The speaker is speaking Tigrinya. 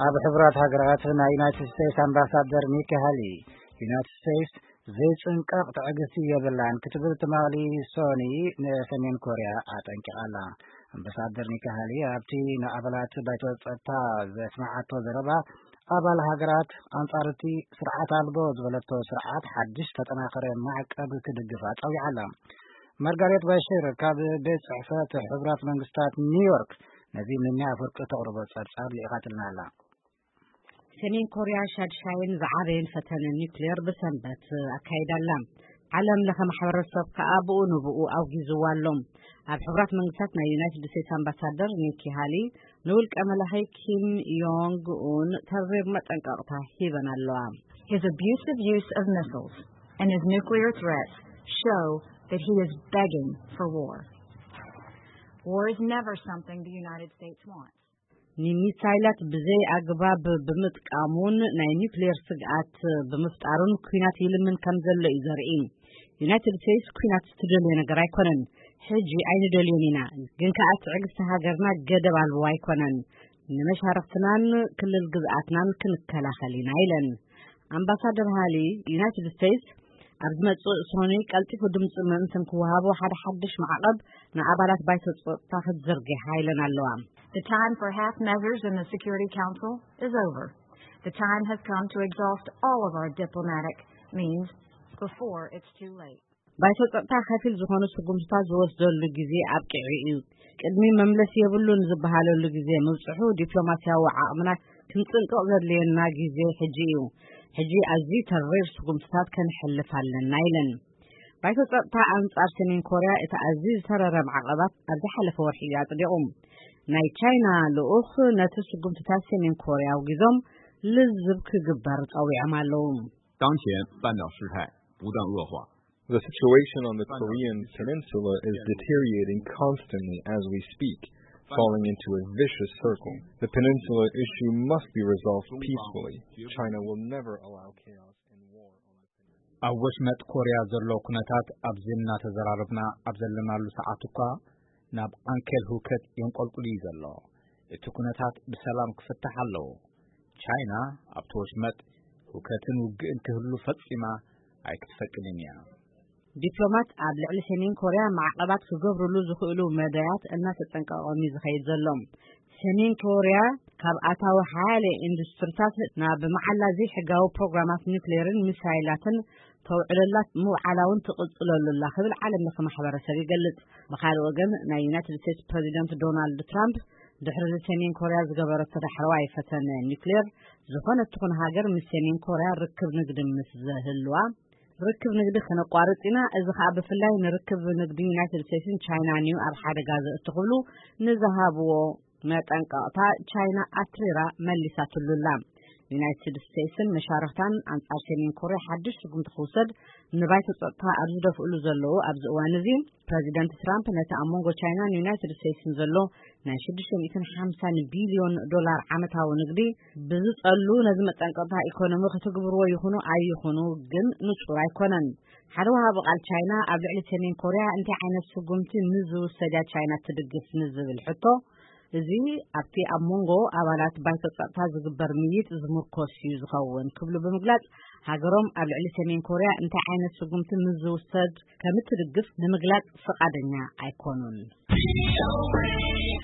ኣብ ሕቡራት ሃገራት ናይ ዩናይትድ ስቴትስ ኣምባሳደር ኒኪ ሃሊ፣ ዩናይትድ ስቴትስ ዘይጽንቀቕ ትዕግስቲ የብላን ክትብል ትማሊ ሶኒ ንሰሜን ኮርያ ኣጠንቂቓ ኣላ። ኣምባሳደር ኒኪ ሃሊ ኣብቲ ንኣባላት ባይቶ ጸጥታ ዘስምዓቶ ዘረባ፣ ኣባል ሃገራት ኣንጻር እቲ ስርዓት ኣልቦ ዝበለቶ ስርዓት ሓድሽ ተጠናኸረ ማዕቀብ ክድግፋ ጸዊዓ ኣላ። ማርጋሬት ባሽር ካብ ቤት ጽሕፈት ሕቡራት መንግስታት ኒውዮርክ ነዚ ሚኒያ ኣፈወርቂ ተቕርቦ ጸብጻብ ልኢኻትልና ኣላ። ሰሜን ኮርያ ሻድሻይን ዝዓበየን ፈተነ ኒውክሌር ብሰንበት ኣካይዳ ኣላ። ዓለም ለኸ ማሕበረሰብ ከኣ ብኡ ንብኡ ኣውጊዝዋ ኣሎ። ኣብ ሕቡራት መንግስታት ናይ ዩናይትድ ስቴትስ ኣምባሳደር ኒኪ ሃሊ ንውልቀ መላኺ ኪም ዮንግ ኡን ተሪር መጠንቀቕታ ሂበን ኣለዋ። His abusive use of missiles and his nuclear threats show that he is begging for war. War is never something the United States wants. ንሚሳይላት ብዘይ ኣግባብ ብምጥቃሙን ናይ ኒውክሌር ስግኣት ብምፍጣሩን ኲናት ይልምን ከም ዘሎ እዩ ዘርኢ። ዩናይትድ ስቴትስ ኲናት ትደልዮ ነገር ኣይኮነን። ሕጂ ኣይንደልዮን ኢና፣ ግን ከኣ ትዕግስቲ ሃገርና ገደብ ኣልቦ ኣይኮነን። ንመሻርኽትናን ክልል ግዝኣትናን ክንከላኸል ኢና ኢለን። ኣምባሳደር ሃሊ፣ ዩናይትድ ስቴትስ ኣብ ዝመጽእ ሶኒ ቀልጢፉ ድምጺ ምእንትን ክወሃቦ ሓደ ሓድሽ ማዕቐብ ንኣባላት ባይቶ ጸጥታ ክትዝርግሕ ኢለን ኣለዋ። The time for half measures in the Security Council is over. The time has come to exhaust all of our diplomatic means before it's too late. ባይቶ ጸጥታ ከፊል ዝኾኑ ስጉምትታት ዝወስደሉ ግዜ ኣብቂዑ እዩ። ቅድሚ መምለሲ የብሉን ዝበሃለሉ ግዜ ምብጽሑ ዲፕሎማስያዊ ዓቕምና ክንጽንቅቕ ዘድልየና ግዜ ሕጂ እዩ። ሕጂ ኣዝዩ ተሪር ስጉምትታት ከነሕልፍ ኣለና ኢለን። ባይቶ ጸጥታ ኣንጻር ሰሜን ኮርያ እቲ ኣዝዩ ዝተረረ ማዕቐባት ኣብ ዝሓለፈ ወርሒ እዩ ኣጽዲቑ። ናይ ቻይና ልኡኽ ነቲ ስጉምትታት ሰሜን ኮርያ ኣውጊዞም ልዝብ ክግበር ጸዊዖም ኣለዉ። 当前半岛事态不断恶化。 The situation on the Korean peninsula is deteriorating constantly as we speak, falling into a vicious circle. The peninsula issue must be resolved peacefully. China will never allow chaos and war on the peninsula. ኣብ ወሽመጥ ኮርያ ዘሎ ኩነታት ኣብዚ እናተዘራረብና ኣብ ዘለናሉ ሰዓት እኳ ናብ ዓንኬል ህውከት የንቆልቁል እዩ ዘሎ። እቲ ኩነታት ብሰላም ክፍታሕ ኣለዎ። ቻይና ኣብቲ ወሽመጥ ህውከትን ውግእን ክህሉ ፈጺማ ኣይክትፈቅድን እያ። ዲፕሎማት ኣብ ልዕሊ ሰሜን ኮርያ ማዕቐባት ክገብርሉ ዝኽእሉ መዳያት እናተጸንቀቖም እዩ ዝኸይድ ዘሎ። ሰሜን ኮርያ ካብ ኣታዊ ሓያለ ኢንዱስትሪታት ናብ መዓላ ዘይሕጋዊ ፕሮግራማት ኒውክሌርን ሚሳይላትን ተውዕለላ ምውዓላ እውን ትቕጽለሉ ኣላ ክብል ዓለም ለኸ ማሕበረሰብ ይገልጽ። ብኻልእ ወገን ናይ ዩናይትድ ስቴትስ ፕሬዚደንት ዶናልድ ትራምፕ ድሕሪ ሰሜን ኮርያ ዝገበረቶ ዳሕረዋይ ፈተነ ኒውክሌር፣ ዝኾነት ትኹን ሃገር ምስ ሰሜን ኮርያ ርክብ ንግዲ ምስ ዘህልዋ ርክብ ንግዲ ከነቋርጽ ኢና፣ እዚ ኸኣ ብፍላይ ንርክብ ንግዲ ዩናይትድ ስቴትስን ቻይናን እዩ ኣብ ሓደጋ ዘእቱ ክብሉ ንዝሃብዎ መጠንቀቕታ ቻይና ኣትሪራ መሊሳትሉ ኣላ። ዩናይትድ ስቴትስን መሻርኽታን ኣንጻር ሰሜን ኮርያ ሓድሽ ስጉምቲ ክውሰድ ንባይቶ ጸጥታ ኣብ ዝደፍእሉ ዘለዉ ኣብዚ እዋን እዚ፣ ፕረዚደንት ትራምፕ ነቲ ኣብ መንጎ ቻይናን ዩናይትድ ስቴትስን ዘሎ ናይ ሽዱሽተ ሚእትን ሓምሳን ቢልዮን ዶላር ዓመታዊ ንግዲ ብዝጸሉ ነዚ መጠንቀቕታ ኢኮኖሚ ክትግብርዎ ይኹኑ ኣይኹኑ ግን ንጹር ኣይኮነን። ሓደ ወሃቢ ቃል ቻይና ኣብ ልዕሊ ሰሜን ኮርያ እንታይ ዓይነት ስጉምቲ ንዝውሰድ እያ ቻይና ትድግፍ ንዝብል ሕቶ፣ እዚ ኣብቲ ኣብ መንጎ ኣባላት ባይቶ ጸጥታ ዝግበር ምይይጥ ዝምርኮስ እዩ ዝኸውን ክብሉ ብምግላጽ፣ ሃገሮም ኣብ ልዕሊ ሰሜን ኮርያ እንታይ ዓይነት ስጉምቲ ንዝውሰድ ከም እትድግፍ ንምግላጽ ፍቓደኛ ኣይኮኑን።